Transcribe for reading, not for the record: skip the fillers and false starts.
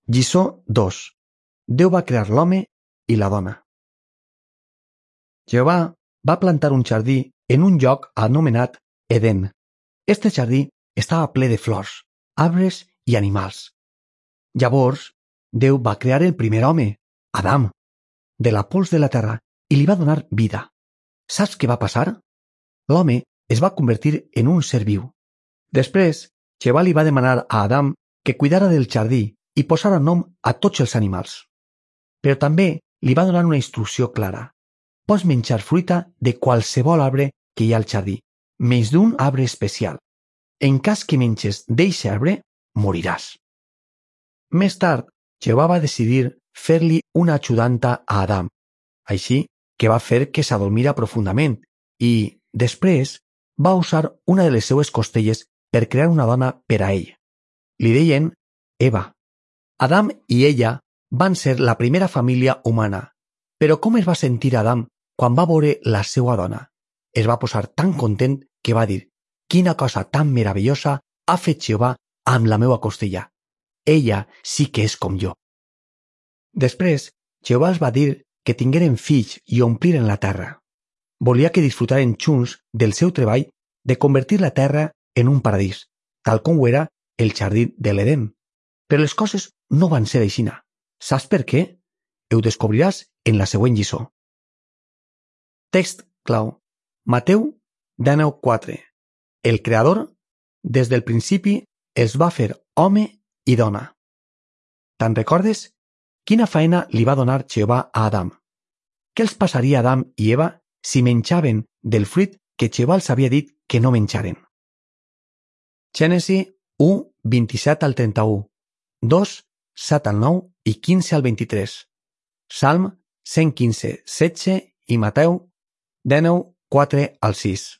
Lliçó 2. Déu va crear l'home i la dona. Jehovà va plantar un jardí en un lloc anomenat Edén. Este jardí estava ple de flors, arbres i animals. Llavors, Déu va crear el primer home, Adam, de la pols de la terra i li va donar vida. Saps què va passar? L'home es va convertir en un ser viu. Després, Jehovà li va demanar a Adam que cuidara del jardí i posara nom a tots els animals. Però també li va donar una instrucció clara. Pots menjar fruita de qualsevol arbre que hi ha al jardí, menys d'un arbre especial. En cas que menges d'eixe arbre, moriràs. Més tard, Jehovà va decidir fer-li una ajudanta a Adam, així que va fer que s'adormira profundament i, després, va usar una de les seues costelles per crear una dona per a ell. Li deien Eva. Adam i ella van ser la primera família humana, però com es va sentir Adam quan va veure la seva dona? Es va posar tan content que va dir: «Quina cosa tan meravellosa ha fet Jehovà amb la meva costella. Ella sí que és com jo». Després, Jehovà els va dir que tingueren fills i ompliren la terra. Volia que disfrutaren junts del seu treball de convertir la terra en un paradís, tal com ho era el jardí de l'Edén. Però les coses no van ser aixina. Saps per què? Ho descobriràs en la següent lliçó. Text clau. Mateu 19:4. El Creador, des del principi, els va fer home i dona. Te'n recordes? Quina faena li va donar Jehovà a Adam? Què els passaria a Adam i Eva si menjaven del fruit que Jehovà els havia dit que no menjaren? Gènesi 1, 27 al 31, 2, 7 al 9 i 15 al 23, Salm 115, 16 i Mateu 19, 4 al 6.